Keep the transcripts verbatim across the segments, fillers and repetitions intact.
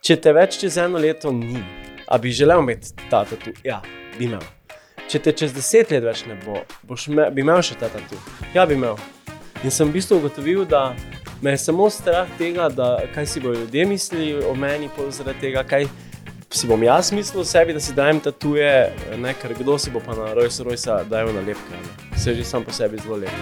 Če te več čez eno leto ni, a bi želel imeti ta tatu? Ja, bi imel. Če te čez deset let več ne bo, boš me, bi imel še ta tatu? Ja, bi imel. In sem v bistvu ugotovil, da me je samo strah tega, da kaj si bojo ljudje mislili o meni, pol zaradi tega, kaj si bom jaz mislil o sebi, da si dajem tatuje, ne, ker kdo si bo pa na Rolls Royce dajal nalepke. Se že sam po sebi zelo lep.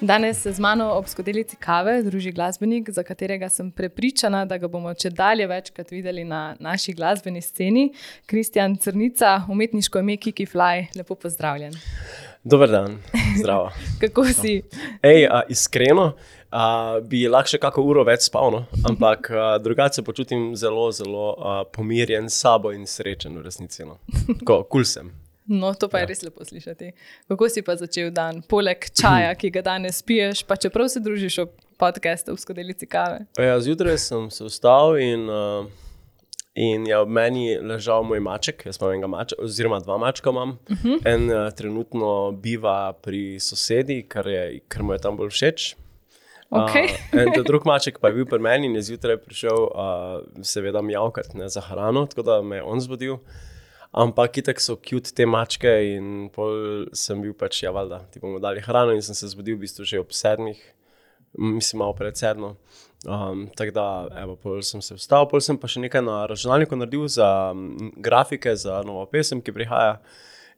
Danes se z mano ob skodelici kave druži glasbenik, za katerega sem prepričana, da ga bomo čedalje večkrat videli na naši glasbeni sceni. Kristjan Crnica, umetniško ime Kiki Fly, lepo pozdravljen. Dober dan, zdravo. Kako si? Ej, a, iskreno, a, bi lahko še kako uro več spal, no? Ampak a, drugače se počutim zelo, zelo a, pomirjen s sabo in srečen v resnici. No? Ko, kul sem. No, to pa je ja. Res lepo slišati. Kako si pa začel dan? Poleg čaja, ki ga danes piješ, pa čeprav se družiš ob podcastu v skodelici kave? Ja, zjutraj sem se vstal in, uh, in je ob meni ležal moj maček. Jaz imam enega mačka, oziroma dva mačka imam. Uh-huh. En uh, trenutno biva pri sosedi, ker, je, ker mu je tam bolj všeč. Okay. Uh, en drug maček pa je bil pri meni in je zjutraj prišel uh, seveda mjavkat, ne, za hrano, tako da me je on zbudil. Ampak itak so cute te mačke in pol sem bil pač, ja valjda, ti bomo dali hrano in sem se zbudil v bistvu že ob sedmih, mislim malo pred sedmo. Um, tako da, evo, pol sem se vstal, pol sem pa še nekaj na računalniku naredil za um, grafike, za novo pesem, ki prihaja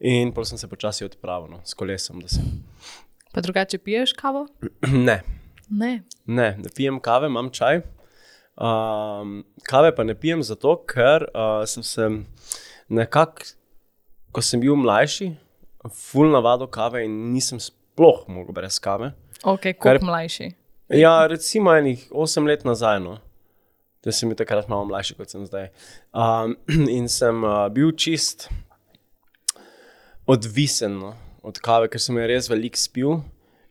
in pol sem se počasi odpravil, no, s kolesom, da sem. Pa drugače piješ kavo? Ne. Ne? Ne, ne pijem kave, imam čaj. Um, kave pa ne pijem zato, ker uh, sem se nekako, ko sem bil mlajši, ful navado kave in nisem sploh mogel brez kave. Ok, koliko mlajši? Ja, recimo enih osem let nazaj, no. Da sem bil takrat malo mlajši, kot sem zdaj. Um, in sem uh, bil čist odvisen, no, od kave, ker sem je res veliko spil.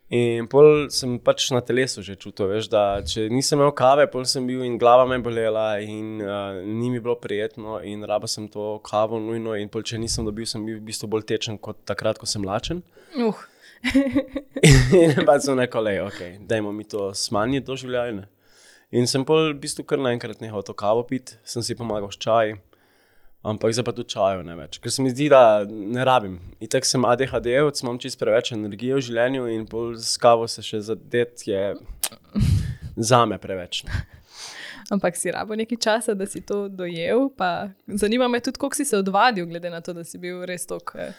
In pol sem pač na telesu že čutil, veš, da če nisem imel kave, pol sem bil in glava me bolela in uh, ni mi bilo prijetno in raba sem to kavo nujno in pol če nisem dobil, sem bil v bistvu bolj tečen kot takrat, ko sem lačen. Uh. In pa sem neko, lej, ok, dajmo mi to smanjiti do življenja. In sem pol v bistvu kar naenkrat nehal to kavo piti, sem si pomagal s čaj, ampak zdaj pa tudi čajo ne več, ker se mi zdi, da ne rabim. Itak sem A D H D-evec, imam čist preveč energije v življenju in pol s kavo se še zadet je zame preveč. Ampak si rabo nekaj časa, da si to dojel, pa zanima me tudi, koliko si se odvadil, glede na to, da si bil res toliko eh,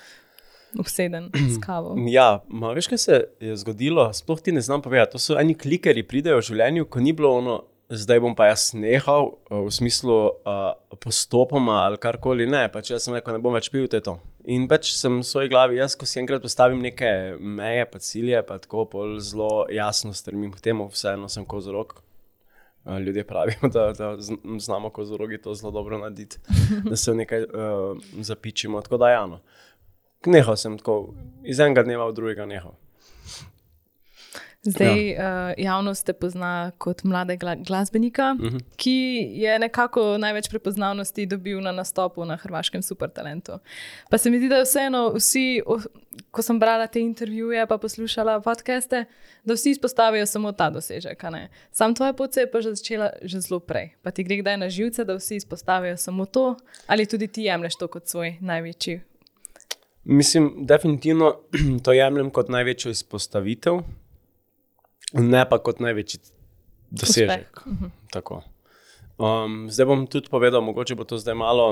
obseden s kavo. Ja, ma veš, kaj se je zgodilo, sploh ti ne znam povedati, to so eni klikerji pridejo v življenju, ko ni bilo ono, zdaj bom pa jaz nehal, v smislu uh, postopoma ali karkoli, ne, pač jaz sem rekel, ne bom več pil, to je to. In pač sem v svoji glavi, jaz ko si enkrat postavim neke meje, pa cilje, pa tako pol zelo jasno strmim k temu, vseeno sem kozorog. Uh, ljudje pravijo, da, da znamo kozorogi to zelo dobro narediti, da se v nekaj uh, zapičimo, tako da jano. Nehal sem tako, iz enega dneva v drugega nehal. Zdaj ja. uh, javnost te pozna kot mladega glasbenika, uh-huh. ki je nekako največ prepoznavnosti dobil na nastopu na hrvaškem Supertalentu. Pa se mi zdi, da vseeno vsi, ko sem brala te intervjuje pa poslušala podcaste, da vsi izpostavijo samo ta dosežek. A ne? Sam tvoja pot se je pa že začela že zelo prej. Pa ti gre kdaj na živce, da vsi izpostavijo samo to, ali tudi ti jemlješ to kot svoj največji? Mislim, definitivno to jemljem kot največjo izpostavitev, ne pa kot največji dosežek. Uh-huh. Tako. Um, zdaj bom tudi povedal, mogoče bo to zdaj malo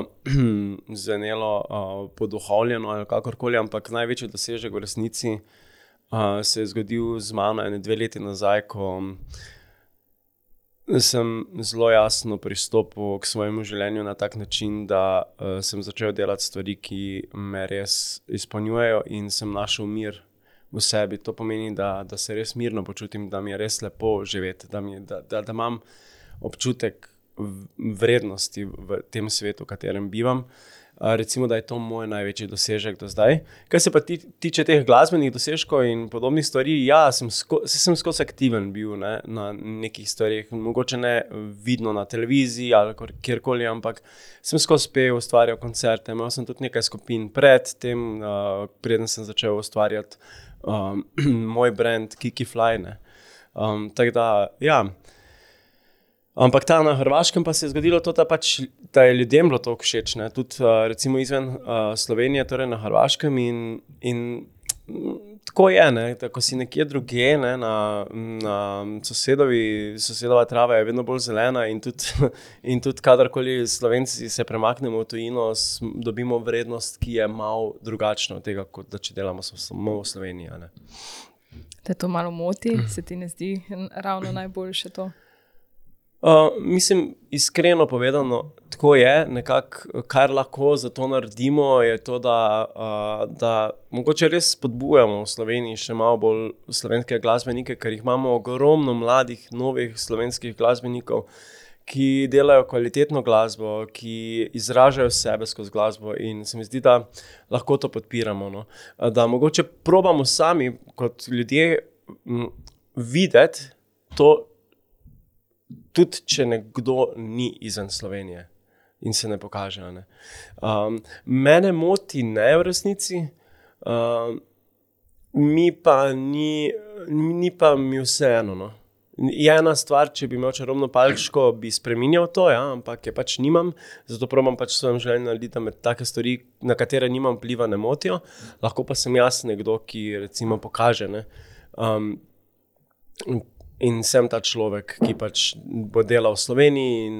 zvenelo uh, poduhovljeno ali kakorkoli, ampak največji dosežek v resnici uh, se je zgodil z mano ene dve leti nazaj, ko sem zelo jasno pristopil k svojemu življenju na tak način, da uh, sem začel delati stvari, ki me res izpolnjujejo in sem našel mir v sebi. To pomeni, da, da se res mirno počutim, da mi je res lepo živeti, da, mi, da, da, da imam občutek vrednosti v tem svetu, v katerem bivam. Uh, recimo, da je to moj največji dosežek do zdaj. Kaj se pa ti, tiče teh glasbenih dosežkov in podobnih stvari, ja, sem, sko, sem skozi aktiven bil, ne, na nekih stvarih, mogoče ne vidno na televiziji ali kjerkoli, ampak sem skozi pel, ustvarjal koncerte, imel sem tudi nekaj skupin pred tem, uh, preden sem začel ustvarjati um, moj brand Kiki Fly, ne. Um, tako da, ja, Ampak ta na Hrvaškem pa se je zgodilo to, da, pač, da je ljudem bilo to všeč, ne? Tudi uh, recimo izven uh, Slovenije, torej na Hrvaškem in, in tako je, ne? Da ko si nekje drugje, ne? na, na sosedovi, sosedova trava je vedno bolj zelena in tudi, in tudi kadarkoli Slovenci se premaknemo v tujino, dobimo vrednost, ki je malo drugačna od tega, kot da če delamo samo v Sloveniji. Ne? Te to malo moti, se ti ne zdi ravno najboljše to? Uh, mislim, iskreno povedano, tako je, nekako, kar lahko za to naredimo, je to, da, uh, da mogoče res spodbujamo v Sloveniji še malo bolj slovenske glasbenike, ker jih imamo ogromno mladih, novih slovenskih glasbenikov, ki delajo kvalitetno glasbo, ki izražajo sebe skozi glasbo in se mi zdi, da lahko to podpiramo. No? Da mogoče probamo sami kot ljudje m, videti to, tudi če nekdo ni izven Slovenije in se ne pokaže. Ne? Um, mene moti ne v resnici, um, mi pa ni, ni pa mi vseeno. No? Je ena stvar, če bi imel čarobno palčko, bi spreminjal to, ja? Ampak je pač nimam, zato probam pač svojem željenju narediti, da me take stvari, na katere nimam vpliva, ne motijo. Lahko pa sem jaz nekdo, ki recimo pokaže, ne? Um, In sem ta človek, ki pač bo delal v Sloveniji in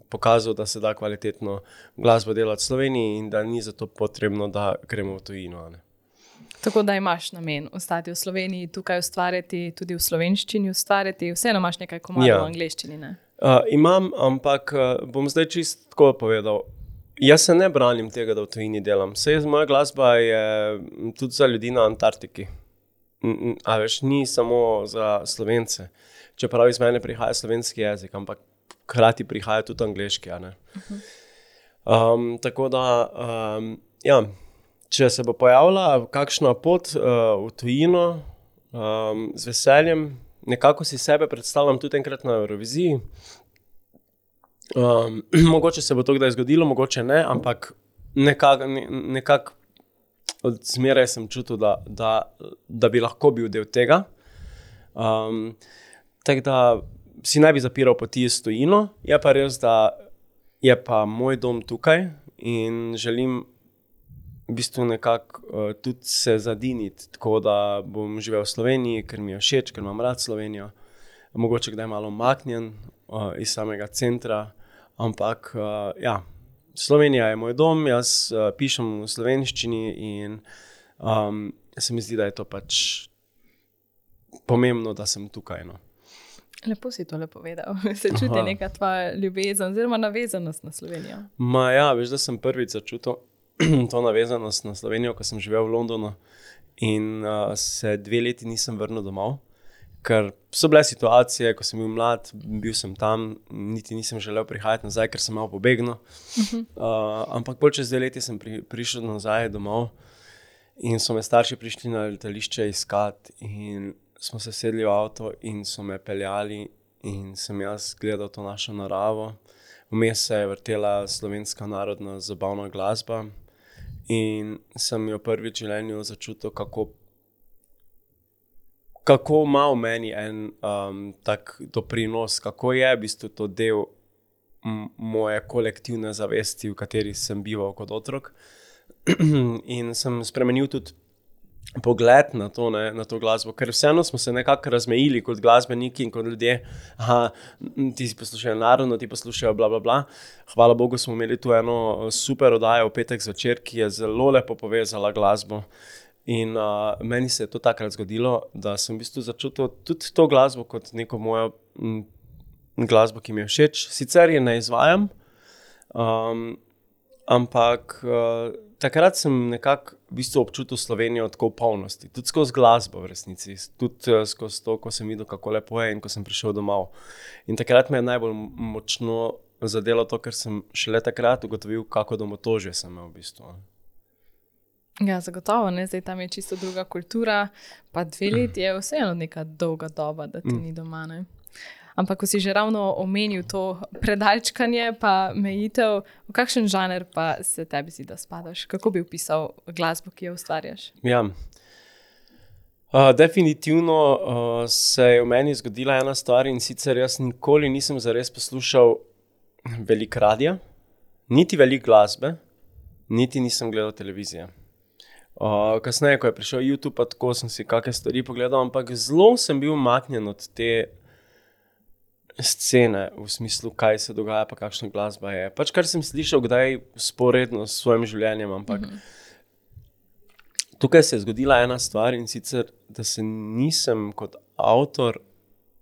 pokazal, da se da kvalitetno glasbo delati v Sloveniji in da ni zato potrebno, da gremo v tujino. Ne? Tako da imaš namen ostati v Sloveniji, tukaj ustvarjati, tudi v slovenščini ustvarjati, vseeno imaš nekaj komadov ja. v angleščini, ne? Uh, imam, ampak uh, bom zdaj čisto tako povedal. Jaz se ne branim tega, da v tujini delam. Saj moja glasba je tudi za ljudi na Antarktiki. A veš, ni samo za Slovence, čeprav iz mene prihaja slovenski jezik, ampak hkrati prihaja tudi angleški. A ne? Um, tako da, um, ja, če se bo pojavila kakšna pot uh, v tujino, um, z veseljem, nekako si sebe predstavljam tudi enkrat na Euroviziji. Um, mogoče se bo to kdaj zgodilo, mogoče ne, ampak nekako nekak od zmeraj sem čutil, da, da, da bi lahko bil del tega. Um, tako da si ne bi zapiral poti s tujino, je pa res, da je pa moj dom tukaj in želim v bistvu nekako uh, tudi se zadiniti, tako da bom živel v Sloveniji, ker mi je všeč, ker imam rad Slovenijo. Mogoče kdaj malo umaknjen uh, iz samega centra, ampak uh, ja, Slovenija je moj dom, jaz uh, pišem v slovenščini in um, se mi zdi, da je to pač pomembno, da sem tukaj. No. Lepo si to lepo povedal. Se čuti Aha. neka tvoja ljubezen oziroma navezanost na Slovenijo? Ma ja, veš, da sem prvič začutil to navezanost na Slovenijo, ko sem živel v Londonu in uh, se dve leti nisem vrnil domov. Ker so bile situacije, ko sem bil mlad, bil sem tam, niti nisem želel prihajati nazaj, ker sem malo pobegnil. Uh-huh. Uh, ampak bolj čez dve leti sem pri, prišel nazaj domov in so me starši prišli na letališče iskati in smo se sedli v avto in so me peljali in sem jaz gledal to našo naravo. Vmes se je vrtela slovenska narodna zabavna glasba in sem jo prvič v življenju začutil, kako kako ima v meni en um, tak doprinos, kako je v bistvu to del m- moje kolektivne zavesti, v kateri sem bival kot otrok. In sem spremenil tudi pogled na to, ne, na to glasbo, ker vseeno smo se nekako razmejili kot glasbeniki in kot ljudje. Aha, ti si poslušajo narodno, ti poslušajo bla, bla, bla. Hvala Bogu smo imeli tu eno super oddajo v petek zvečer, ki je zelo lepo povezala glasbo. In uh, meni se je to takrat zgodilo, da sem v bistvu začutil tudi to glasbo kot neko mojo m, glasbo, ki mi je všeč. Sicer je ne izvajam, um, ampak uh, takrat sem nekako v bistvu občutil Slovenijo tako v polnosti. Tudi skozi glasbo v resnici, tudi uh, skozi to, ko sem videl, kako lepo je in ko sem prišel domov. In takrat me je najbolj močno zadelo to, ker sem šele takrat ugotovil, kako domotožje sem imel v bistvu. Ja, zagotovo, ne? Zdaj tam je čisto druga kultura, pa dve leti je vseeno neka dolga doba, da ti ni doma, ne? Ampak ko si že ravno omenil to predalčkanje pa mejitev, v kakšen žanr pa se tebi zdi, da spadaš? Kako bi opisal glasbo, ki jo ustvarjaš? Ja, Uh, definitivno uh, se je v meni zgodila ena stvar, in sicer jaz nikoli nisem zares poslušal veliko radia, niti veliko glasbe, niti nisem gledal televizije. Uh, kasneje, ko je prišel YouTube, pa tako sem si kakšne stvari pogledal, ampak zelo sem bil umaknjen od te scene, v smislu, kaj se dogaja, pa kakšna glasba je. Pač kar sem slišal, kdaj sporedno s svojim življenjem, ampak mm-hmm. tukaj se je zgodila ena stvar, in sicer, da se nisem kot avtor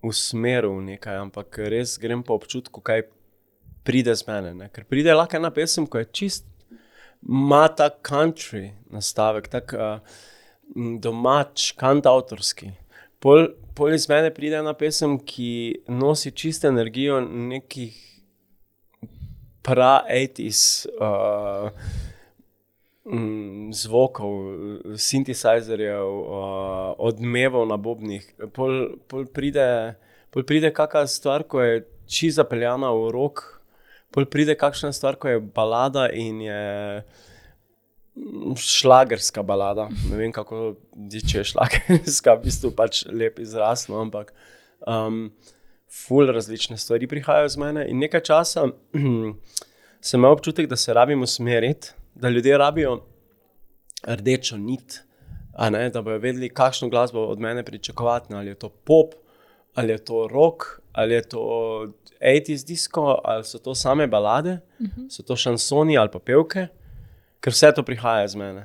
usmeril v nekaj, ampak res grem po občutku, kaj pride z mene. Ne? Ker pride lahko ena pesem, ko je čist, ima tak country nastavek, tak uh, domač, kantavtorski. Pol, pol iz mene pride ena pesem, ki nosi čisto energijo nekih pra-osemdesetih uh, zvokov, synthesizerjev, uh, odmevov na bobnih. Pol, pol pride, pol pride kakšna stvar, ko je čisto zapeljana v rock, pol pride kakšna stvar, ko je balada in je šlagerska balada. Ne vem, kako če je šlagerska, v bistvu pač lep izraz, no, ampak um, ful različne stvari prihajajo z mene. In nekaj časa sem imel občutek, da se rabim usmeriti, da ljudje rabijo rdečo nit, a ne, da bojo vedeli, kakšno glasbo od mene pričakovati, ali je to pop, ali je to rock, ali je to osemdesetih disco, ali so to same balade, uh-huh. so to šansoni ali pa pevke, ker vse to prihaja z mene.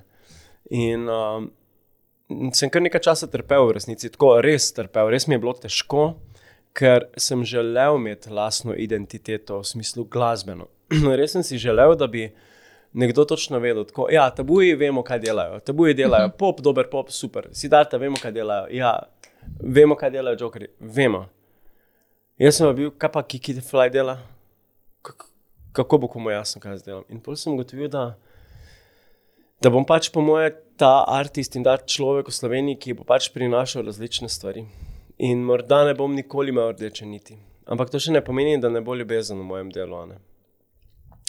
In um, sem kar nekaj časa trpel v resnici, tako res trpel, res mi je bilo težko, ker sem želel imeti lastno identiteto v smislu glasbeno. Res sem si želel, da bi nekdo točno vedel, tako, ja, Tabuji vemo, kaj delajo, Tabuji delajo uh-huh. pop, dober pop, super, Siddharta vemo, kaj delajo, ja, vemo, kaj delajo Jokerji, vemo. Jaz sem bil, kaj pa Kiki the Fly dela? K- kako bo komu jasno, kaj jaz delam? In potem sem ugotovil, da, da bom pač po moje ta artist in da človek v Sloveniji, ki bo pač prinašal različne stvari. In morda ne bom nikoli imel rdeče niti. Ampak to še ne pomeni, da ne bo ljubezen v mojem delu. Ne?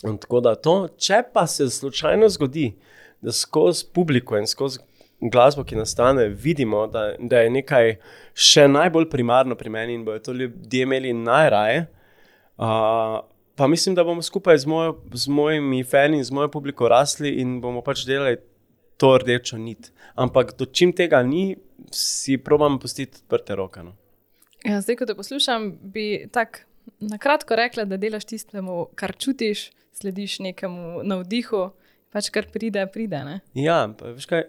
In tako da to, če pa se slučajno zgodi, da skozi publiko in skozi glasbo, ki nastane, vidimo, da, da je nekaj še najbolj primarno pri meni in bojo to ljudje imeli najraje, uh, pa mislim, da bomo skupaj z, mojo, z mojimi fani in z mojo publiko rasli in bomo pač delali to rdečo nit. Ampak do čim tega ni, si probam pustiti odprte roke. No. Ja, zdaj, ko te poslušam, bi tak nakratko rekla, da delaš tistemu, kar čutiš, slediš nekemu navdihu, pač kar pride, pride, ne? Ja, pa veš kaj,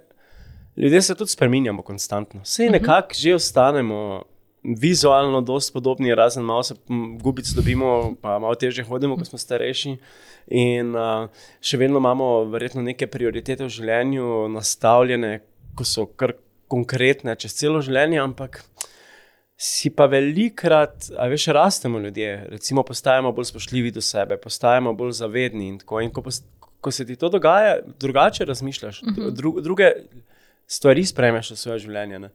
ljudje se tudi spreminjamo konstantno. Sej nekako že ostanemo vizualno dosti podobni, razen malo se gubic dobimo, pa malo težje hodimo, ko smo starejši. In uh, še vedno imamo verjetno neke prioritete v življenju nastavljene, ko so kar konkretne čez celo življenje, ampak si pa velikrat, a veš, rastemo ljudje, recimo postajamo bolj spoštljivi do sebe, postajamo bolj zavedni in tako. In ko, post, ko se ti to dogaja, drugače razmišljaš, dru, druge stvari sprejmeš v svoje življenje. Ne?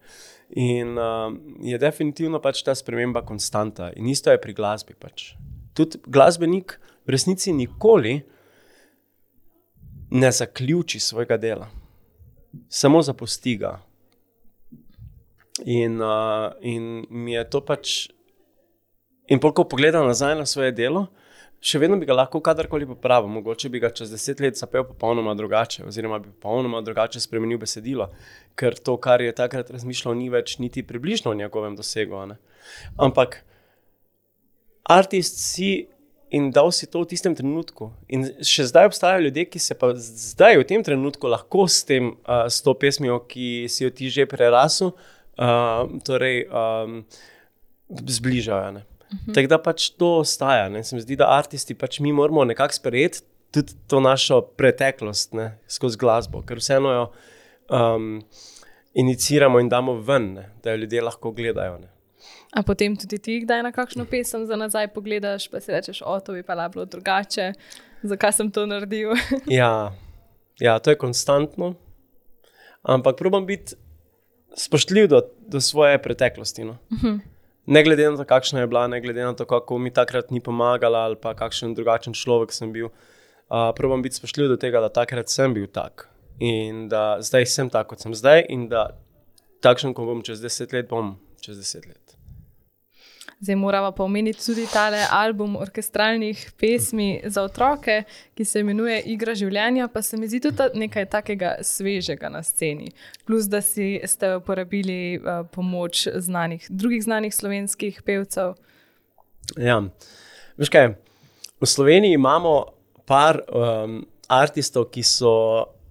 In uh, je definitivno pač ta sprememba konstanta. In isto je pri glasbi pač. Tudi glasbenik v resnici nikoli ne zaključi svojega dela. Samo zapusti ga. In, uh, in mi je to pač... In pol, ko pogledam nazaj na svoje delo, še vedno bi ga lahko kadarkoli popravil. Mogoče bi ga čez deset let zapel popolnoma drugače, oziroma bi popolnoma drugače spremenil besedilo, ker to, kar je takrat razmišljal, ni več niti približno v njegovem dosegu. Ne? Ampak artist si in dal si to v tistem trenutku. In še zdaj obstajajo ljudje, ki se pa zdaj v tem trenutku lahko s, tem, uh, s to pesmijo, ki si jo ti že prerasil, uh, torej um, zbližajo. Ne? Uh-huh. Tako da pač to ostaja. Ne? Se mi zdi, da artisti pač mi moramo nekako sprejeti tudi to našo preteklost, ne? Skozi glasbo, ker vseeno jo um, iniciramo in damo ven, ne? Da jo ljudje lahko gledajo. Ne? A potem tudi ti kdaj na kakšno pesem za nazaj pogledaš, pa si rečeš, o, to bi pa bilo drugače, zakaj sem to naredil? ja, ja, to je konstantno, ampak probam biti spoštljiv do, do svoje preteklosti. No? Uh-huh. Ne glede na to, kakšna je bila, ne glede na to, kako mi takrat ni pomagala ali pa kakšen drugačen človek sem bil. Uh, probam biti spoštljiv do tega, da takrat sem bil tak in da zdaj sem tak, kot sem zdaj in da takšen, ko bom čez deset let, bom čez deset let. Zdaj moramo pa omeniti tudi tale album orkestralnih pesmi za otroke, ki se imenuje Igra življenja, pa se mi zdi tudi nekaj takega svežega na sceni. Plus, da si ste uporabili uh, pomoč znanih, drugih znanih slovenskih pevcev. Ja, veš kaj, v Sloveniji imamo par um, artistov, ki so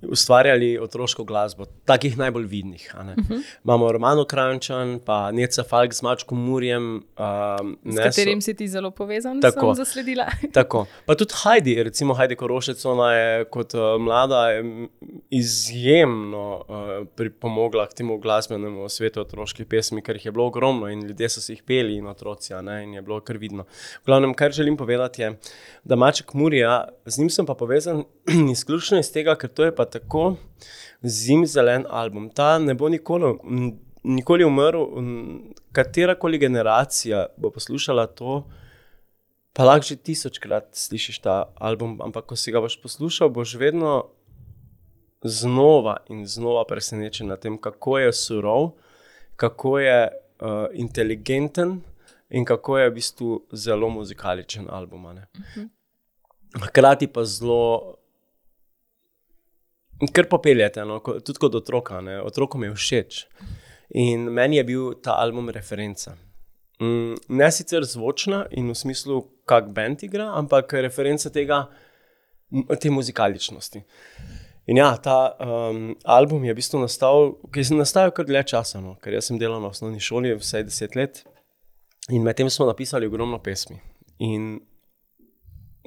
ustvarjali otroško glasbo, takih najbolj vidnih. A ne? Uh-huh. Imamo Romano Kranjčan, pa Neca Falk z Mačkom Murjem. Um, s katerim si ti zelo povezan, tako, sem zasledila. Tako. Pa tudi Heidi, recimo Heidi Korošec, ona je kot uh, mlada je izjemno uh, pripomogla k temu glasbenemu svetu otroških pesmi, ker jih je bilo ogromno in ljudje so si jih peli in otroci, a ne? In je bilo kar vidno. V glavnem, kar želim povedati je, da Maček Murja, z njim sem pa povezan izključno iz tega, ker to je pa tako zimzelen album. Ta ne bo nikoli, nikoli umrl, katerakoli generacija bo poslušala to, pa lahko že tisočkrat slišiš ta album, ampak ko si ga boš poslušal, boš vedno znova in znova presenečen na tem, kako je surov, kako je uh, inteligenten in kako je v bistvu zelo muzikaličen album. Uh-huh. Hkrati pa zelo kar popeljete, no? Tudi kot otroka, ne? Otrokom je všeč. In meni je bil ta album referenca. Mm, ne sicer zvočna in v smislu, kak band igra, ampak referenca tega, te muzikaličnosti. In ja, ta um, album je v bistvu nastal, ki je nastajal kar dlje časa, no? Ker jaz sem delal na osnovni šoli vsaj deset let in med tem smo napisali ogromno pesmi. In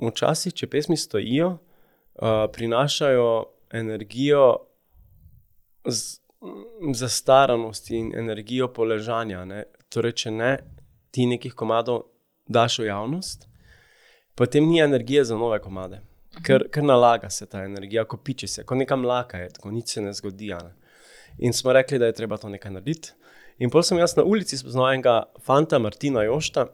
včasih, če pesmi stojijo, uh, prinašajo energijo z, zastaranosti in energijo poležanja. Ne? Torej, če ne, ti nekih komadov daš v javnost, potem ni energije za nove komade. Ker, ker nalaga se ta energija, ko piče se, ko neka mlaka je, ko nič se ne zgodi. Ne? In smo rekli, da je treba to nekaj narediti. In potem sem jaz na ulici spoznal enega fanta, Martina Jošta,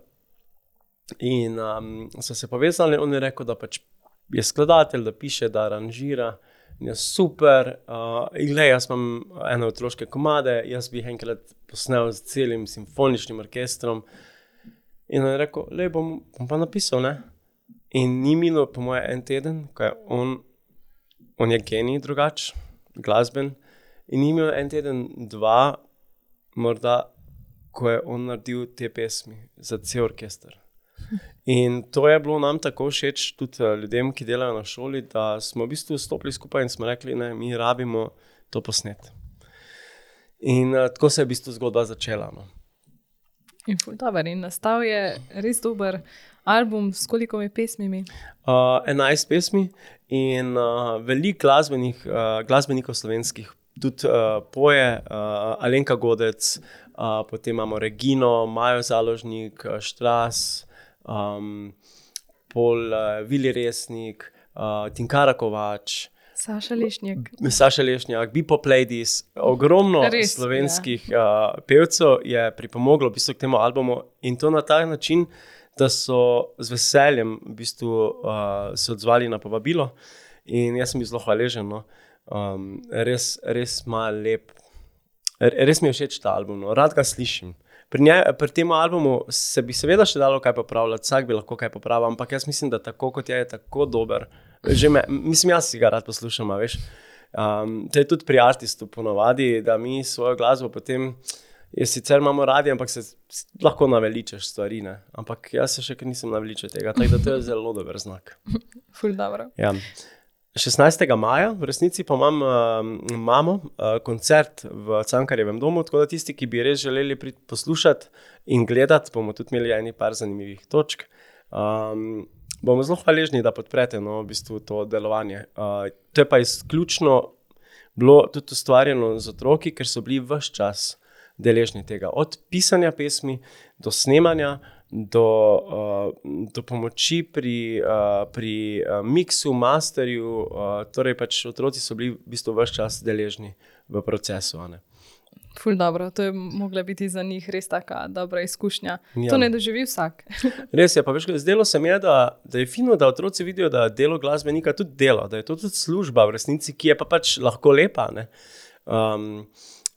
in um, so se povezali, on je rekel, da pač je skladatelj, da piše, da aranžira. In je super, uh, in glej, jaz imam ene otroške komade, jaz bi jih enkrat posnel z celim simfoničnim orkestrom. In on je rekel, lej, bom, bom pa napisal, ne? In ni minilo po moje en teden, ko je on, on je genij drugač, glasben, in ni minilo en teden, dva, morda, ko je on naredil te pesmi za cel orkester. In to je bilo nam tako všeč tudi ljudem, ki delajo na šoli, da smo v bistvu stopili skupaj in smo rekli, ne, mi rabimo to posnet. In uh, tako se je v bistvu zgodba začela. No. In ful dober, in nastal je res dober album s kolikimi pesmimi? Uh, enajst pesmi in uh, veliko glasbenih, uh, glasbenikov slovenskih, tudi uh, poje, uh, Alenka Godec, uh, potem imamo Regino, Majo Založnik, uh, Štras, Um, pol uh, Vili Resnik, uh, Tinkara Kovač, Saša Lešnjak, Saša Lešnjak, Bebop Ladies, ogromno Res, slovenskih ja. uh, pevcev je pripomoglo v bistvu k temu albumu in to na tak način, da so z veseljem v bistvu uh, se odzvali na povabilo in jaz sem bil zelo hvaležen. No. Um, res, res ima lep, res mi je všeč ta album, no. Rad ga slišim. Pri, nje, pri tem albumu se bi seveda še dalo kaj popravljati, vsak bi lahko kaj popravil, ampak jaz mislim, da tako kot je, je tako dober. Že me, mislim, jaz si ga rad poslušam, veš. Um, to je tudi pri artistu ponovadi, da mi svojo glasbo potem, je sicer imamo radi, ampak se lahko naveličaš stvari, ne. Ampak jaz se še kar nisem naveličal tega, tako da to je zelo dober znak. Ful dobro. Ja. šestnajstega maja, v resnici pa imam, uh, imamo uh, koncert v Cankarjevem domu, tako da tisti, ki bi res želeli priti poslušati in gledati, bomo tudi imeli eni par zanimivih točk. Um, bomo zelo hvaležni, da podprete no, v bistvu to delovanje. Uh, to je pa izključno bilo tudi ustvarjeno z otroki, ker so bili ves čas deležni tega. Od pisanja pesmi do snemanja, Do, uh, do pomoči pri, uh, pri uh, miksu, masterju, uh, torej pač otroci so bili v bistvu ves čas deležni v procesu. Ne? Ful dobro, to je mogla biti za njih res taka dobra izkušnja. Ja. To ne doživi vsak. Res je, pa veš, zdelo se mi je, da, da je fino, da otroci vidijo, da delo glasbenika tudi delo, da je to tudi služba v resnici, ki je pa pač lahko lepa. Ne? Um,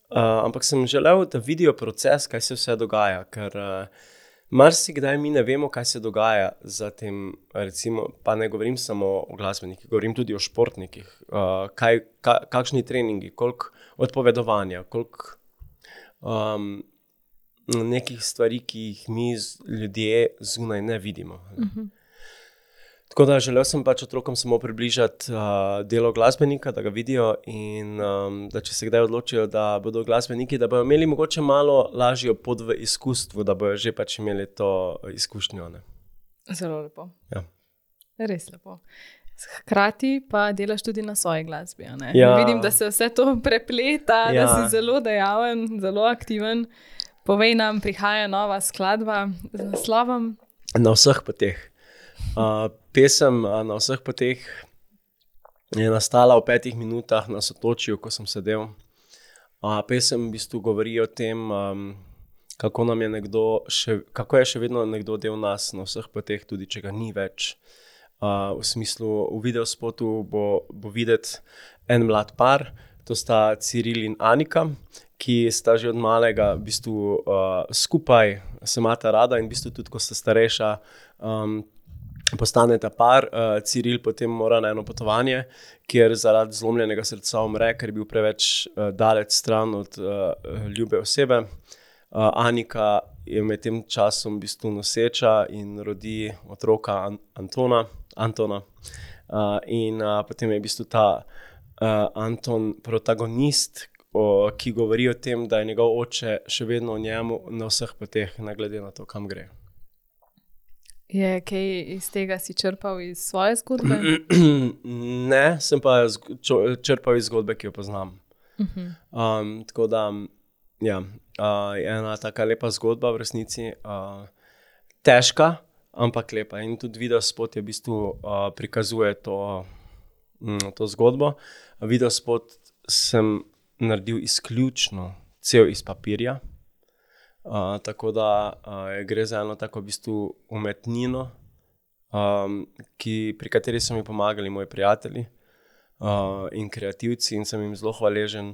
Uh, ampak sem želel, da vidijo proces, kaj se vse dogaja, ker uh, marsikdaj mi ne vemo, kaj se dogaja za tem, recimo, pa ne govorim samo o glasbenikih, govorim tudi o športnikih, uh, kaj, ka, kakšni treningi, koliko odpovedovanja, koliko um, nekih stvari, ki jih mi ljudje zunaj ne vidimo. Uh-huh. Tako da želel sem pač otrokom samo približati uh, delo glasbenika, da ga vidijo in um, da če se kdaj odločijo, da bodo glasbeniki, da bodo imeli mogoče malo lažjo pot v izkustvu, da bodo že pač imeli to izkušnjo. Ne? Zelo lepo. Ja. Res lepo. Hkrati pa delaš tudi na svoji glasbi. Ne? Ja. Vidim, da se vse to prepleta, ja. Da si zelo dejaven, zelo aktiven. Povej nam, prihaja nova skladba z naslovom? Na vseh poteh. Uh, pesem uh, Na vseh poteh je nastala v petih minutah na Sotočju, ko sem sedel. Uh, pesem v bistvu govori o tem, um, kako, nam je nekdo še, kako je še vedno nekdo del nas na vseh poteh, tudi če ga ni več. Uh, v smislu, v videospotu bo, bo videti en mlad par, to sta Ciril in Anika, ki sta že od malega v bistvu uh, skupaj, se imata rada in v bistvu tudi, ko sta starejša, um, postaneta par. uh, Ciril potem mora na eno potovanje, kjer zaradi zlomljenega srca umre, ker je bil preveč uh, daleč stran od uh, ljube osebe. Uh, Anika je med tem časom v bistvu noseča in rodi otroka An- Antona. Antona. Uh, in uh, potem je v bistvu ta uh, Anton protagonist, o, ki govori o tem, da je njegov oče še vedno o njemu na vseh poteh, ne glede na to, kam gre. Je kaj iz tega si črpal iz svoje zgodbe? Ne, sem pa zg- čo- črpal iz zgodbe, ki jo poznam. Uh-huh. Um, tako da, ja, uh, je ena taka lepa zgodba v resnici, uh, težka, ampak lepa. In tudi videospot je v bistvu uh, prikazuje to, mm, to zgodbo. Videospot sem naredil izključno cel iz papirja. Uh, tako da uh, gre za eno tako v bistvu umetnino, um, ki, pri kateri so mi pomagali moji prijatelji uh, in kreativci in sem jim zelo hvaležen.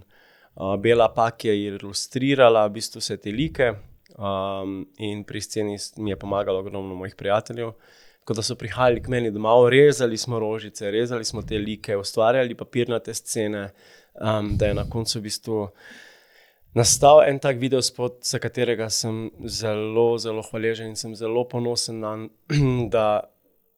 Uh, Bela Pak je ilustrirala v bistvu vse te like um, in pri sceni mi je pomagalo ogromno mojih prijateljev. Tako da so prihajali k meni domov, rezali smo rožice, rezali smo te like, ustvarjali papirnate scene, um, da je na koncu v bistvu nastal en tak videospot, za katerega sem zelo, zelo hvaležen in sem zelo ponosen na, da,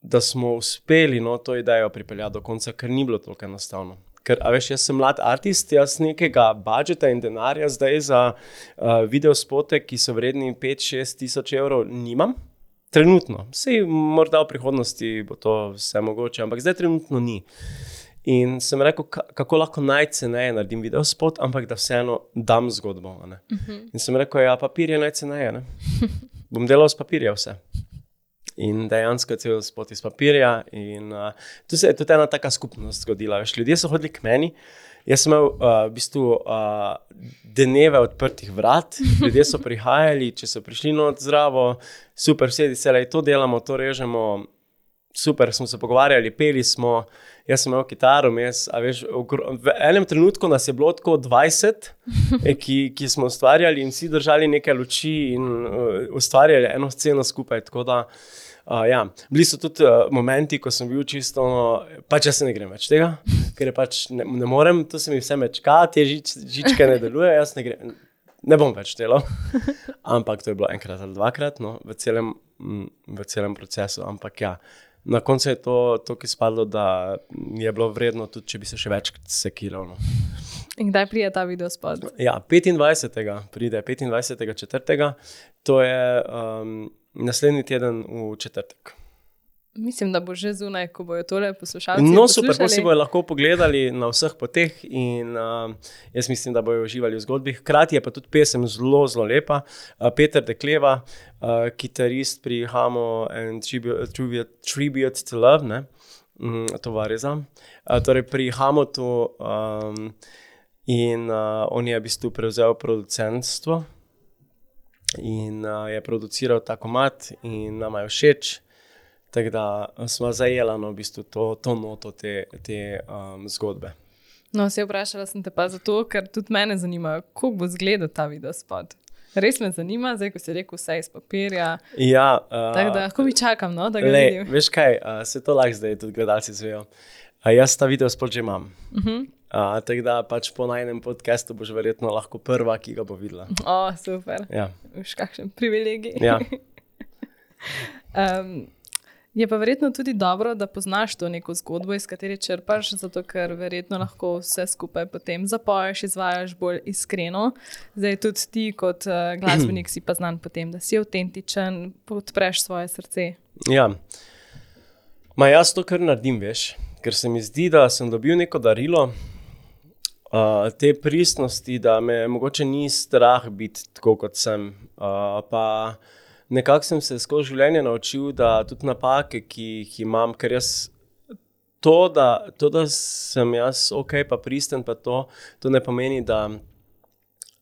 da smo uspeli no, to idejo pripeljati do konca, ker ni bilo toliko enostavno. Ker, a veš, jaz sem mlad artist, jaz nekega budžeta in denarja zdaj za uh, videospote, ki so vredni pet šest tisoč evrov, nimam. Trenutno. Sej morda v prihodnosti bo to vse mogoče, ampak zdaj trenutno ni. In sem rekel, kako lahko najceneje naredim videospot, ampak da vseeno dam zgodbo. Ne? Uh-huh. In sem rekel, ja, papir je najceneje. Ne? Bom delal s papirja vse. In dejansko je cel spot iz papirja. In uh, tu se je tudi ena taka skupnost zgodila. Veš, ljudje so hodili k meni. Jaz sem imel uh, v bistvu uh, dneve odprtih vrat. Ljudje so prihajali, če so prišli not zdravo, super, vsedi se, to delamo, to režemo. Super, smo se pogovarjali, peli smo, jaz sem imel kitaro, mes, a veš, v enem trenutku nas je bilo tako dvajset, ki, ki smo ustvarjali in vsi držali nekaj luči in uh, ustvarjali eno sceno skupaj, tako da, uh, ja, bili so tudi uh, momenti, ko sem bil čisto, no, pač jaz se ne grem več tega, ker je pač ne, ne morem, to se mi vse mečka, te žič, žičke ne deluje, jaz ne grem, ne bom več delal, ampak to je bilo enkrat ali dvakrat, no, v celem, v celem procesu, ampak ja, na koncu je to, to ki spadlo, da je bilo vredno, tudi če bi se še več sekiral. No. In kdaj pride ta videospot? Ja, petindvajsetega pride, petindvajsetega četrtega To je um, naslednji teden v četrtek. Mislim, da bo že zunaj, ko bojo tole poslušalci No, poslušali. super, pa si bojo lahko pogledali na vseh poteh in uh, jaz mislim, da bojo uživali v zgodbi. Hkrati je pa tudi pesem zelo, zelo lepa. Uh, Peter Dekleva, uh, kitarist pri Hamo and Tribute, tribute, tribute to Love, ne? Mm, to vareza. Uh, torej pri Hamotu um, in uh, on je v bistvu prevzel producentstvo in uh, je produciral ta komad in nama je všeč. Tako da smo zajela no, v bistvu to, to noto te, te um, zgodbe. No, se vprašala sem te pa zato, ker tudi mene zanima, kako bo izgledal ta videospot. Res me zanima, zdaj, ko si rekel vse iz papirja. Ja, uh, tako da, lahko mi čakam, no, da ga le, vidim. Veš kaj, uh, se to lahko zdaj tudi gledalci zvejo. Uh, jaz ta videospot že imam. Uh-huh. Uh, tako da pač po najnem podcastu boš verjetno lahko prva, ki ga bo videla. O, super. Ja. Už kakšen privilegij. Ja. um, je pa verjetno tudi dobro, da poznaš to neko zgodbo, iz katere črpaš, zato ker verjetno lahko vse skupaj potem zapoješ, izvajaš bolj iskreno. Zdaj tudi ti kot uh, glasbenik si pa znan potem, da si avtentičen, podpreš svoje srce. Ja. Ma jaz to kar naredim, veš, ker se mi zdi, da sem dobil neko darilo, uh, te pristnosti, da me mogoče ni strah biti tako, kot sem. Uh, pa nekako sem se skozi življenje naučil, da tudi napake, ki jih imam, ker jaz to, da, to, da sem jaz ok, pa pristen, pa to, to ne pomeni, da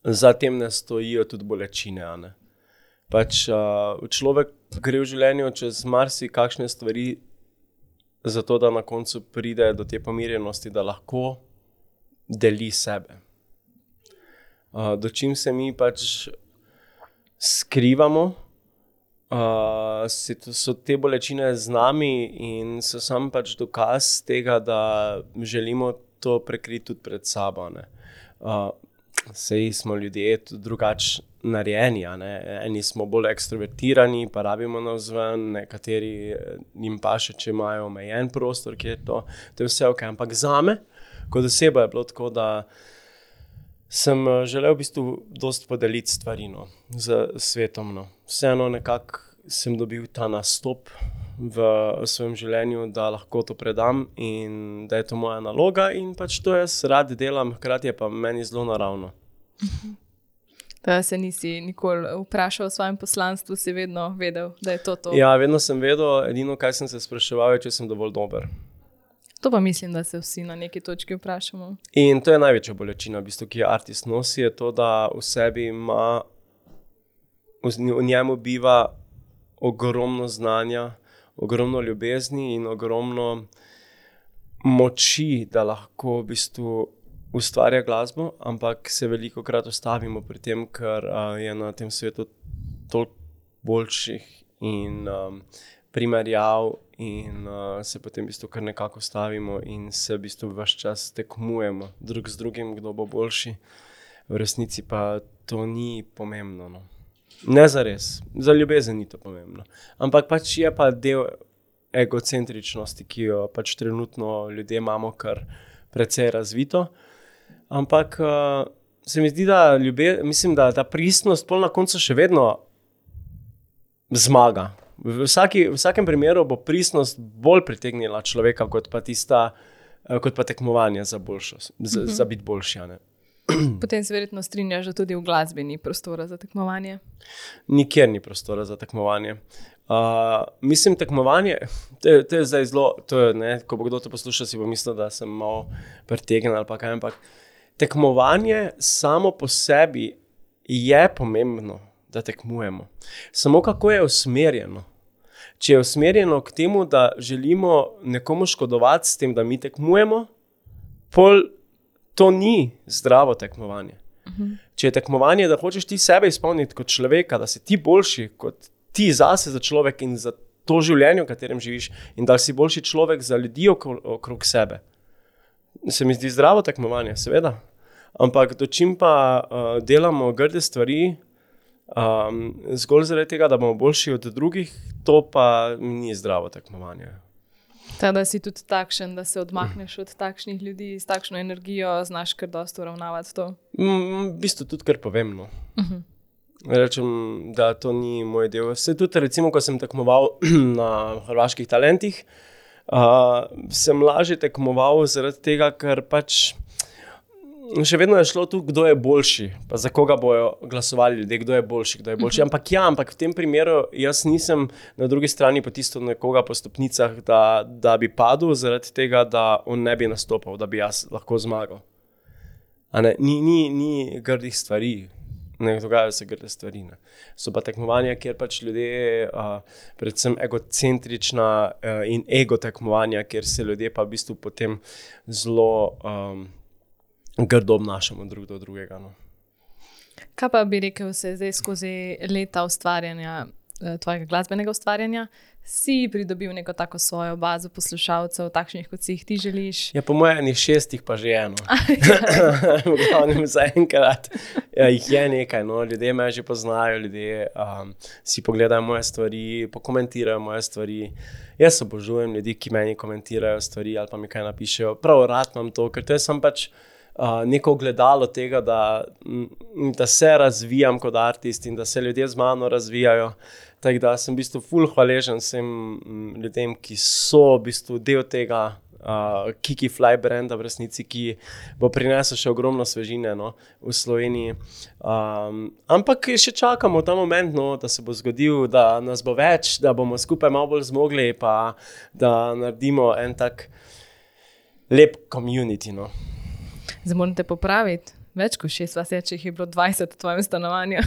za tem ne stojijo tudi bolečine. Ne? Pač uh, človek gre v življenju čez marsi kakšne stvari, zato da na koncu pride do te pomirjenosti, da lahko deli sebe. Uh, do čim se mi pač skrivamo, Uh, so te bolečine z nami in so sam pač dokaz tega, da želimo to prekriti tudi pred sabo. Uh, sej smo ljudje drugače narejeni, eni smo bolj ekstrovertirani, pa rabimo navzven, nekateri jim paše, če imajo omejen prostor, kjer je to, to je vse ok. Ampak zame, kot oseba je bilo tako, da sem želel v bistvu dosti podeliti stvari no, z svetom. No. Vseeno nekako sem dobil ta nastop v svojem življenju, da lahko to predam in da je to moja naloga in pač to jaz rad delam, hkrati je pa meni zelo naravno. Da se nisi nikoli vprašal o svojem poslanstvu, si vedno vedel, da je to to? Ja, vedno sem vedel, edino kaj sem se spraševal, je, če sem dovolj dober. To pa mislim, da se vsi na neki točki vprašamo. In to je največja bolečina, v bistvu, ki je artist nosi, je to, da v sebi ima, v njemu biva ogromno znanja, ogromno ljubezni in ogromno moči, da lahko v bistvu ustvarja glasbo, ampak se velikokrat ustavimo pri tem, ker uh, je na tem svetu toliko boljših in um, primerjav in uh, se potem v bistvu kar nekako stavimo in se v bistvu ves čas tekmujemo drug z drugim, kdo bo boljši. V resnici pa to ni pomembno. No. Ne zares, za ljubezen ni to pomembno. Ampak pač je pa del egocentričnosti, ki jo pač trenutno ljudje imamo kar precej razvito. Ampak uh, se mi zdi, da ljube, mislim, da ta pristnost pol na koncu še vedno zmaga. V, vsaki, v vsakem primeru bo pristnost bolj pritegnila človeka, kot pa tista, kot pa tekmovanje za, boljšo, za, mm-hmm. za biti boljši. Ne? Potem se verjetno strinjaš, da tudi v glasbi ni prostora za tekmovanje? Nikjer ni prostora za tekmovanje. Uh, mislim, tekmovanje, to je, to je zdaj zelo, to je, ne, ko bo kdo to poslušal, si bo mislil, da sem malo pretegnen ali pa kaj, ampak tekmovanje samo po sebi je pomembno, da tekmujemo. Samo kako je usmerjeno. Če je usmerjeno k temu, da želimo nekomu škodovati s tem, da mi tekmujemo, pol to ni zdravo tekmovanje. Uh-huh. Če je tekmovanje, da hočeš ti sebe izpolniti kot človeka, da si ti boljši kot ti zase za človek in za to življenje, v katerem živiš, in da si boljši človek za ljudi okrog sebe. Se mi zdi zdravo tekmovanje, seveda. Ampak dočim pa uh, delamo grde stvari, um, zgolj zaradi tega, da bomo boljši od drugih, to pa ni zdravo tekmovanje. Ta, da si tudi takšen, da se odmakneš od takšnih ljudi, s takšno energijo, znaš kar dosti uravnavati to? Mm, v bistvu tudi kar povem, no. Uh-huh. Rečem, da to ni moj del. Vse tudi, recimo, ko sem tekmoval na Hrvaških talentih, uh, sem lažje tekmoval zaradi tega, ker pač še vedno je šlo tu, kdo je boljši, pa za koga bojo glasovali ljudje, kdo je boljši, kdo je boljši. Uh-huh. Ampak ja, ampak v tem primeru jaz nisem na drugi strani potisnil nekoga po stopnicah, da, da bi padel zaradi tega, da on ne bi nastopal, da bi jaz lahko zmagal. A ne, ni, ni, ni grdih stvari. Ne dogajajo se grde stvari. Ne. So pa tekmovanja, kjer pač ljudje, uh, predvsem egocentrična uh, in ego tekmovanja, kjer se ljudje pa v bistvu potem zelo um, grdo obnašamo drug do drugega. No. Kaj pa bi rekel, se zdaj skozi leta ustvarjanja, tvojega glasbenega ustvarjanja, si pridobil neko tako svojo bazo poslušalcev, takšnih, kot si jih ti želiš? Ja, po mojem šestih pa že eno. V glavnem zaenkrat ja, jih je nekaj. No. Ljudje me že poznajo, ljudje um, si pogledajo moje stvari, pokomentirajo moje stvari. Jaz obožujem ljudi, ki meni komentirajo stvari ali pa mi kaj napišejo. Prav rad imam to, ker to sem pač Uh, neko ogledalo tega, da, da se razvijam kot artist in da se ljudje z mano razvijajo. Tako da sem v bistvu ful hvaležen vsem ljudem, ki so v bistvu del tega uh, Kiki Fly branda v resnici, ki bo prinesel še ogromno svežine no, v Sloveniji. Um, ampak še čakamo ta moment, no, da se bo zgodil, da nas bo več, da bomo skupaj malo bolj zmogli, pa da naredimo en tak lep community. No. Zdaj moram te popraviti. Več kot šest vas je, če jih je bilo dvajset v tvojem stanovanju.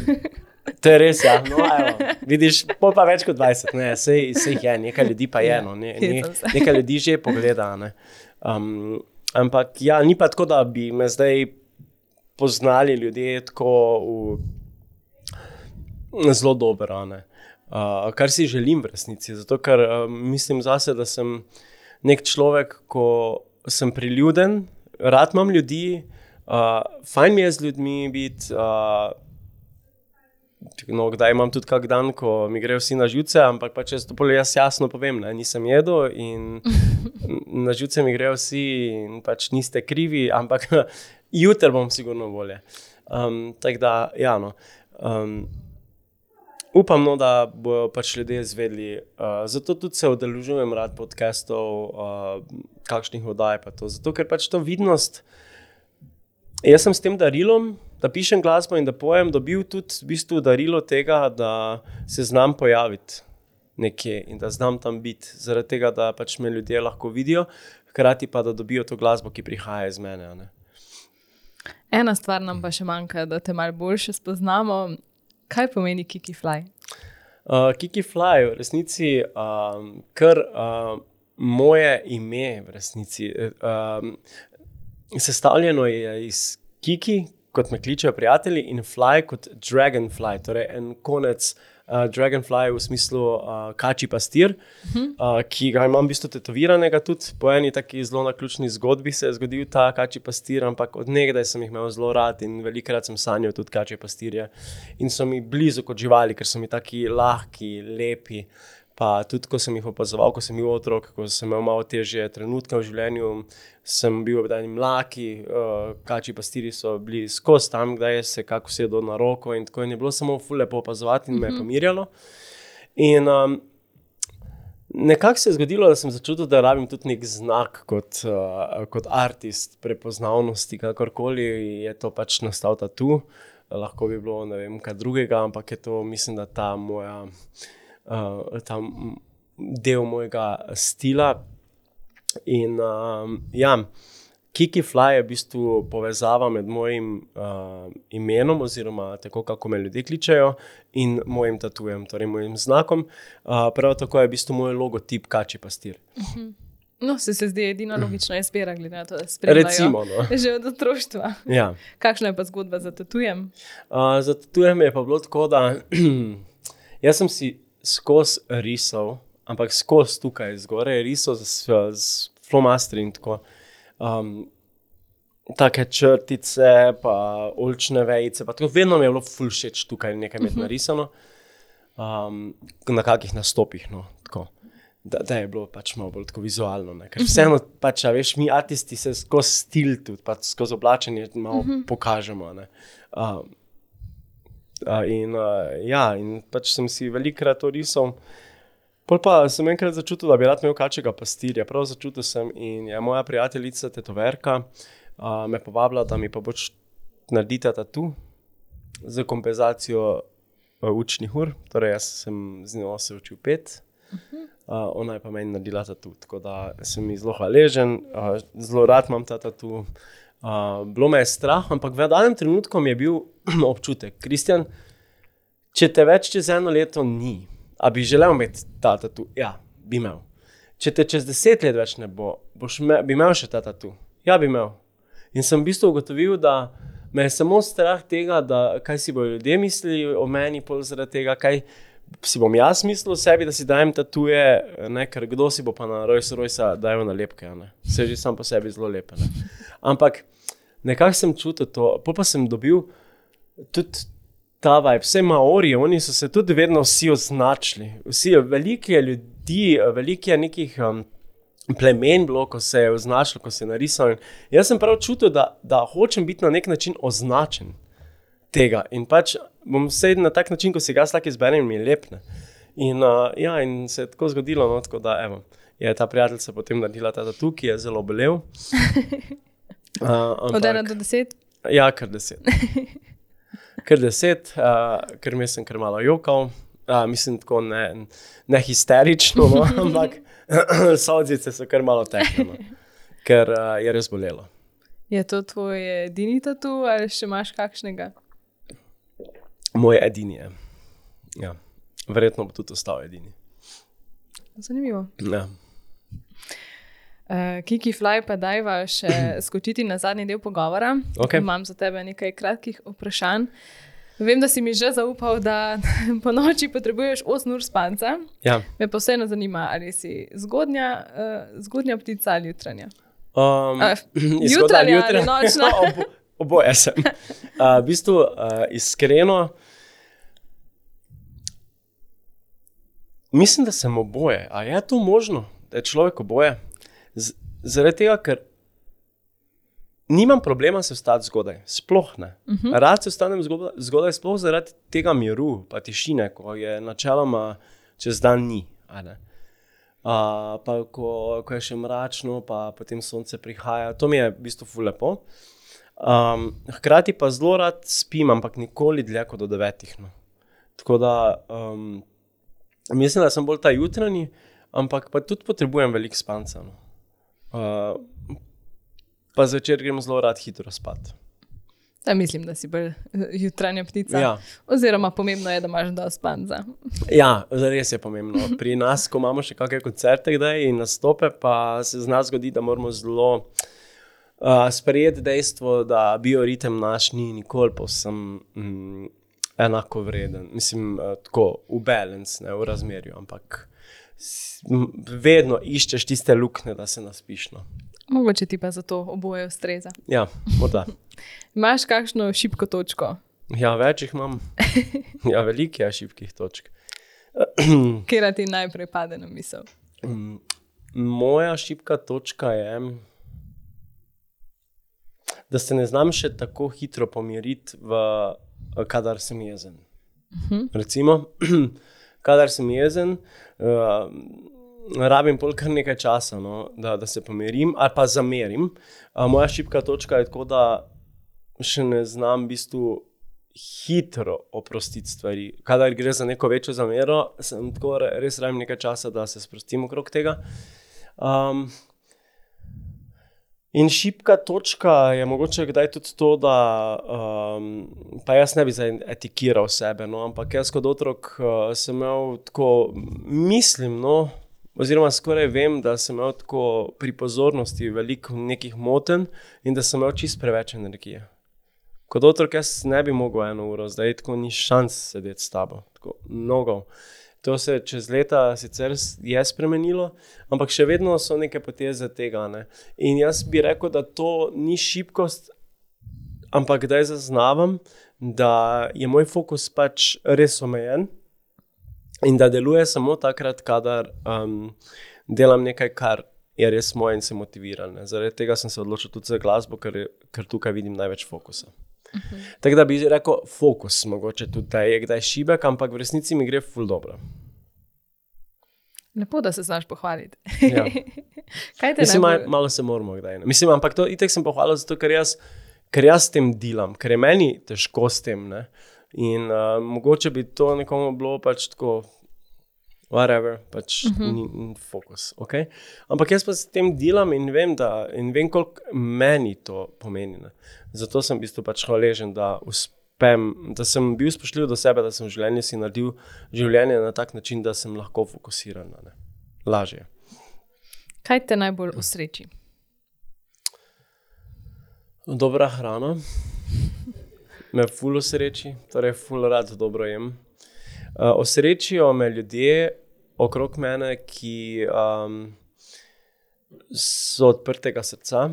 To je res, ja. No, evo. Vidiš, pol pa več kot dvajset. Ne, sej, sej jih je, nekaj ljudi pa je. No. Ne, ne, nekaj ljudi že pogleda. Ne. Um, ampak ja, ni pa tako, da bi me zdaj poznali ljudje tako v zelo dobro. Ne. Uh, kar si želim v resnici. Zato, ker uh, mislim zase, da sem nek človek, ko sem priljuden, rad imam ljudi, uh, fajn mi je z ljudmi biti, uh, no, kdaj imam tudi kak dan, ko mi grejo vsi na živce, ampak pa če to jaz jasno povem, ne, nisem jedel in na živce mi grejo vsi in pač niste krivi, ampak jutri bom sigurno bolje. Um, tako da, ja no. Um, Upam, no, da bojo pač ljudje izvedli. Uh, zato tudi se udeležujem rad podcastov, uh, kakšnih oddaj pa to. Zato, ker pač to vidnost, jaz sem s tem darilom, da pišem glasbo in da pojem, dobil tudi v bistvu darilo tega, da se znam pojaviti nekje in da znam tam biti. Zaradi tega, da pač me ljudje lahko vidijo, hkrati pa, da dobijo to glasbo, ki prihaja iz mene. Ne? Ena stvar nam pa še manjka, da te malo boljše spoznamo. Kaj pomeni Kiki Fly? Uh, Kiki Fly v resnici um, kar uh, moje ime v resnici. Um, sestavljeno je iz Kiki, kot me kličejo prijatelji, in Fly kot Dragonfly, torej en konec uh, Dragonfly v smislu uh, kači pastir, uh-huh. uh, ki ga imam v bistvu tetoviranega tudi. Po eni taki zelo naključni zgodbi se je zgodil ta kači pastir, ampak od nekdaj sem jih imel zelo rad in velikokrat sem sanjal tudi kači pastirje. In so mi blizu kot živali, ker so mi taki lahki, lepi. Pa tudi, ko sem jih opazoval, ko sem bil otrok, ko sem imel malo težje trenutke v življenju, sem bil obdani mlaki, uh, kači pastirji so bili skozi tam, kdaj se kako sedo na roko in tako in je bilo samo ful lepo opazovati in me je pomirjalo. In um, nekako se je zgodilo, da sem začutil, da rabim tudi nek znak kot, uh, kot artist prepoznavnosti, kakorkoli je to pač nastal tatu. Lahko bi bilo ne vem kaj drugega, ampak je to, mislim, da ta moja Uh, ta del mojega stila in uh, ja, Kiki Fly je v bistvu povezava med mojim uh, imenom oziroma tako, kako me ljudje kličejo in mojim tatujem, torej mojim znakom. Uh, prav tako je v bistvu moj logotip kači pastir. Uh-huh. No, se se zdi edina logična izbira, glede na to, da spremljajo Recimo, no. že od otroštva. Ja. Kakšna je pa zgodba za tatujem? Uh, za tatujem je pa bilo tako, da jaz sem si skozi risal, ampak skozi tukaj zgoraj risal z, z flomastri in tako. Um, take črtice, pa oljčne vejice, pa tako vedno mi je bilo ful všeč tukaj nekaj med narisano. Um, na kakih nastopih, no, tako. Da, da je bilo pač malo bolj tako vizualno, ne. Ker vseeno pač, a veš, mi artisti se skozi stil tudi, pa skozi oblačenje malo pokažemo, ne. Um, Uh, in uh, ja, in pač sem si velikokrat to risal. Pol pa sem enkrat začutil, da bi rad imel kačjega pastirja. Prav začutil sem in je moja prijateljica tetoverka uh, me povabila, da mi pa boč naredita tatu za kompenzacijo uh, učnih ur. Torej jaz sem z njo se učil pet, uh, ona je pa meni naredila tatu. Tako da sem mi zelo hvaležen, uh, zelo rad imam ta tatu. Uh, bilo me je strah, ampak v danem trenutku mi je bil občutek, Kristjan, če te več čez eno leto ni, a bi želel imeti ta tatu? Ja, bi imel. Če te čez deset let več ne bo, boš me, bi imel še ta tatu? Ja, bi imel. In sem v bistvu ugotovil, da me je samo strah tega, da kaj si bodo ljudje mislili o meni, pol zaradi tega, kaj si bom jaz mislil o sebi, da si dajem tatuje, ne, ker kdo si bo pa na Rolls Royce dajal nalepke, ne. Se že sam po sebi zelo lepe, ne. Ampak nekako sem čutil to, pol pa sem dobil tudi ta vibe, vse Maori, oni so se tudi vedno vsi označili, vsi, veliko je ljudi, veliko je nekih um, plemen bilo, ko se je označilo, ko se je narisal. Jaz sem prav čutil, da, da hočem biti na nek način označen tega in pač bom vse na tak način, ko si ga slaki izberem, mi je lep, ne. In, uh, ja, in se je tako zgodilo, no, tako da, evo, je ta prijateljica potem naredila ta tatu, ki je zelo bolel. Uh, ampak, od ena do deset? Ja, kar deset. Kar deset, uh, ker mi sem kar malo jokal, uh, mislim tako ne, ne histerično, no, ampak solzice so kar malo tekle, no, ker uh, je res bolelo. Je to tvoj edini tatu ali še imaš kakšnega? Moj edini je. Ja. Verjetno bo tudi ostal edini. Zanimivo. Ja. Uh, Kiki Fly, pa dajva še skočiti na zadnji del pogovora. Okay. Imam za tebe nekaj kratkih vprašanj. Vem, da si mi že zaupal, da po noči potrebuješ osem ur spanca. Ja. Me pa vseeno zanima, ali si zgodnja, uh, zgodnja ptica ali jutranja. Um, uh, jutranja ali nočna? Obo, oboje sem. Uh, v bistvu, uh, iskreno, mislim, da sem oboje. A je to možno, da je človek oboje? Z, zaradi tega, ker nimam problema se vstati zgodaj, sploh ne. Uh-huh. Rad se vstanem zgodaj, zgodaj, sploh zaradi tega miru, pa tišine, ko je načeloma čez dan ni. A ne? Uh, pa ko, ko je še mračno, pa potem sonce prihaja, to mi je v bistvu ful lepo. Um, hkrati pa zelo rad spim, ampak nikoli dlje kot do devetih. No. Tako da um, mislim, da sem bolj ta jutranji, ampak pa tudi potrebujem veliko spanca. No. Uh, pa zvečer grem zelo rad hitro spat. Ja, mislim, da si bolj jutranja ptica. Ja. Oziroma pomembno je, da imaš dosti spanca. Ja, res je pomembno. Pri nas, ko imamo še kakšne koncerte kdaj in nastope, pa se z nas zgodi, da moramo zelo uh, sprejeti dejstvo, da bioritem naš ni nikoli povsem mm, enako vreden. Mislim, uh, tako v balance, ne, v razmerju, ampak s, m, vedno iščeš tiste lukne, da se naspiš. No. Mogoče ti pa zato oboje ustreza. Ja, morda. Imaš kakšno šibko točko? Ja, več jih imam. Ja, veliko je šibkih točk. Katera ti najprej pade na misel? Moja šibka točka je, da se ne znam še tako hitro pomiriti, v, kadar sem jezen. Uh-huh. Recimo, kadar sem jezen, uh, rabim pol kar nekaj časa, no, da, da se pomirim ali pa zamerim. Uh, moja šibka točka je tako, da še ne znam v bistvu hitro oprostiti stvari. Kadar gre za neko večjo zamero, sem tako res rabim nekaj časa, da se sprostim okrog tega. Um, in šibka točka je mogoče kdaj tudi to, da um, pa jaz ne bi zdaj etikiral sebe, no, ampak jaz kot otrok uh, sem imel tako, mislim, no, oziroma skoraj vem, da sem imel tako pri pozornosti veliko nekih motenj in da sem imel čist preveč energije. Kot otrok jaz ne bi mogel eno uro, zdaj tako ni šans sedeti s tabo. Tako mnogo. To se čez leta sicer je spremenilo, ampak še vedno so neke poteze tega. Ne? In jaz bi rekel, da to ni šibkost, ampak kdaj zaznavam, da je moj fokus pač res omejen. In da deluje samo takrat, kadar um, delam nekaj, kar je res moje in se motiviram. Zaradi tega sem se odločil tudi za glasbo, ker, ker tukaj vidim največ fokusa. Uh-huh. Tako da bi rekel, fokus mogoče tudi da je kdaj šibek, ampak v resnici mi gre ful dobro. Lepo, da se znaš pohvaliti. Ja. Kaj te Mislim, najbolj... malo se moramo kdaj. Ne? Mislim, ampak to itek sem pohvalil zato, ker jaz, ker jaz s tem delam, ker je meni težko s tem, ne. In uh, mogoče bi to nekomu bilo pač tako whatever, pač uh-huh. ni, ni fokus, ok? Ampak jaz pa s tem delam in vem, da, in vem, koliko meni to pomeni, ne? Zato sem v bistvu pač hvaležen, da uspem, da sem bil spoštljiv do sebe, da sem v življenju si naredil življenje na tak način, da sem lahko fokusiran, ne? Lažje. Kaj te najbolj usreči? Dobra hrana, me ful osreči, torej ful rad dobro jem. Uh, osrečijo me ljudje okrog mene, ki um, so odprtega srca.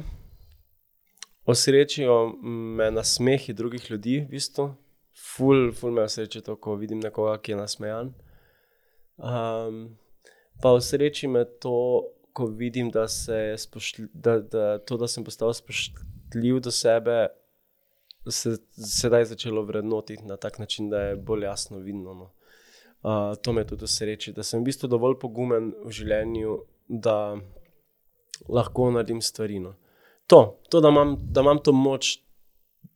Osrečijo me nasmehi drugih ljudi, v bistvu. Ful, ful me osreči to, ko vidim nekoga, ki je nasmejan. Um, pa osreči me to, ko vidim, da, se spoštlj, da, da to, da sem postal spoštljiv do sebe, se sedaj začelo vrednotiti na tak način, da je bolj jasno vidno. No. Uh, to me tudi osreči, da sem v bistvu dovolj pogumen v življenju, da lahko naredim stvari. No. To, to da, imam, da imam to moč,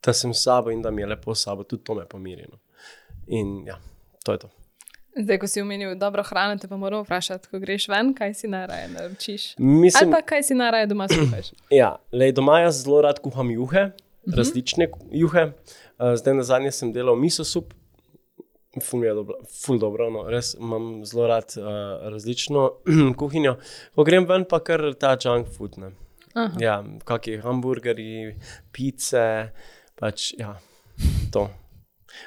da sem s sabo in da mi je lepo s sabo, tudi to me pomiri. No. In ja, to je to. Zdaj, ko si omenil dobro hrano, te pa moram vprašati, ko greš ven, kaj si najraje naročiš? Mislim, ali pa kaj si najraje doma skuhaš? Ja, lej, doma jaz zelo rad kuham juhe, uh-huh. različne juhe. Uh, zdaj nazadnje sem delal miso sup, ful mi je dobro, ful dobro, no, res imam zelo rad uh, različno kuhinjo. Ko grem ven, pa kar ta junk food, ne. Uh-huh. Ja, kakšni hamburgerji, pice, pač, ja, to.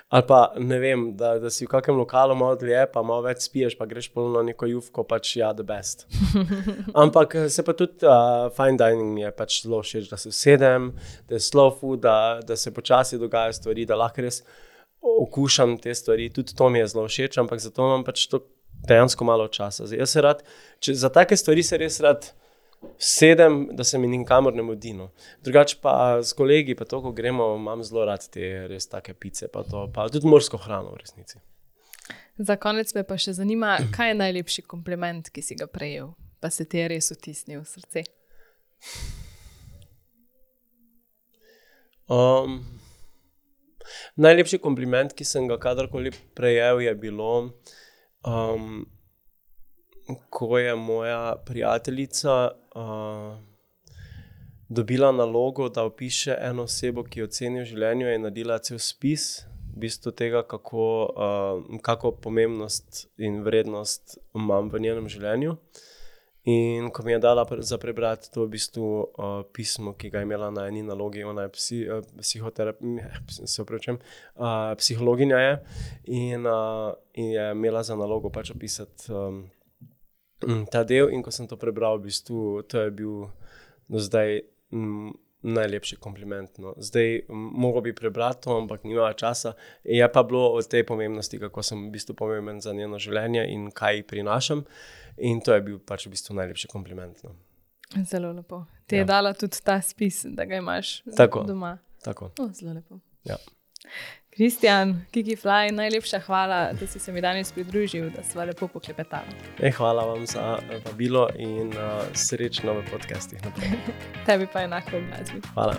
Ali pa, ne vem, da, da si v kakem lokalu malo dlje, pa malo več spiješ, pa greš polno na neko jufko, pač ja, the best. Ampak se pa tudi uh, fine dining mi je pač zelo všeč, da se usedem, da je slow food, da, da se počasi dogajajo stvari, da lahko res okušam te stvari, tudi to mi je zelo všeč, ampak zato imam pač to dejansko malo časa. Zdaj, jaz se rad, če, za take stvari se res rad sedem, da se mi nikamor ne mudi. No. Drugače pa s kolegi, pa to, ko gremo, imam zelo rad te res take pice, pa to, pa tudi morsko hrano v resnici. Za konec me pa še zanima, kaj je najlepši kompliment, ki si ga prejel, pa se ti je res vtisnil v srce? Um, najlepši kompliment, ki sem ga kadarkoli prejel, je bilo um, ko je moja prijateljica uh, dobila nalogo, da opiše eno osebo, ki jo ceni v življenju, je naredila cel spis v bistvu tega, kako, uh, kako pomembnost in vrednost imam v njenem življenju. In ko mi je dala za prebrati to v bistvu uh, pismo, ki ga je imela na eni nalogi, ona je psi, uh, psihoterapija, se opravičujem, uh, psihologinja je in, uh, in je imela za nalogo pač opisati um, ta del, in ko sem to prebral, v bistvu, to je bil do zdaj m, najlepši kompliment. No. Zdaj, moral bi prebrati to, ampak nimala časa. Je pa bilo o tej pomembnosti, kako sem v bistvu pomemben za njeno življenje in kaj prinašam. In to je bil pač v bistvu najlepši kompliment. No. Zelo lepo. Ti je Ja. dala tudi ta spis, da ga imaš Tako. doma. Tako. O, zelo lepo. Ja. Kristjan, Kiki Fly, najlepša hvala, da si se mi danes pridružil, da sva lepo poklepetala. E, hvala vam za eh, vabilo in uh, srečno v podcastih naprej. Tebi pa enako v glasbi. Hvala.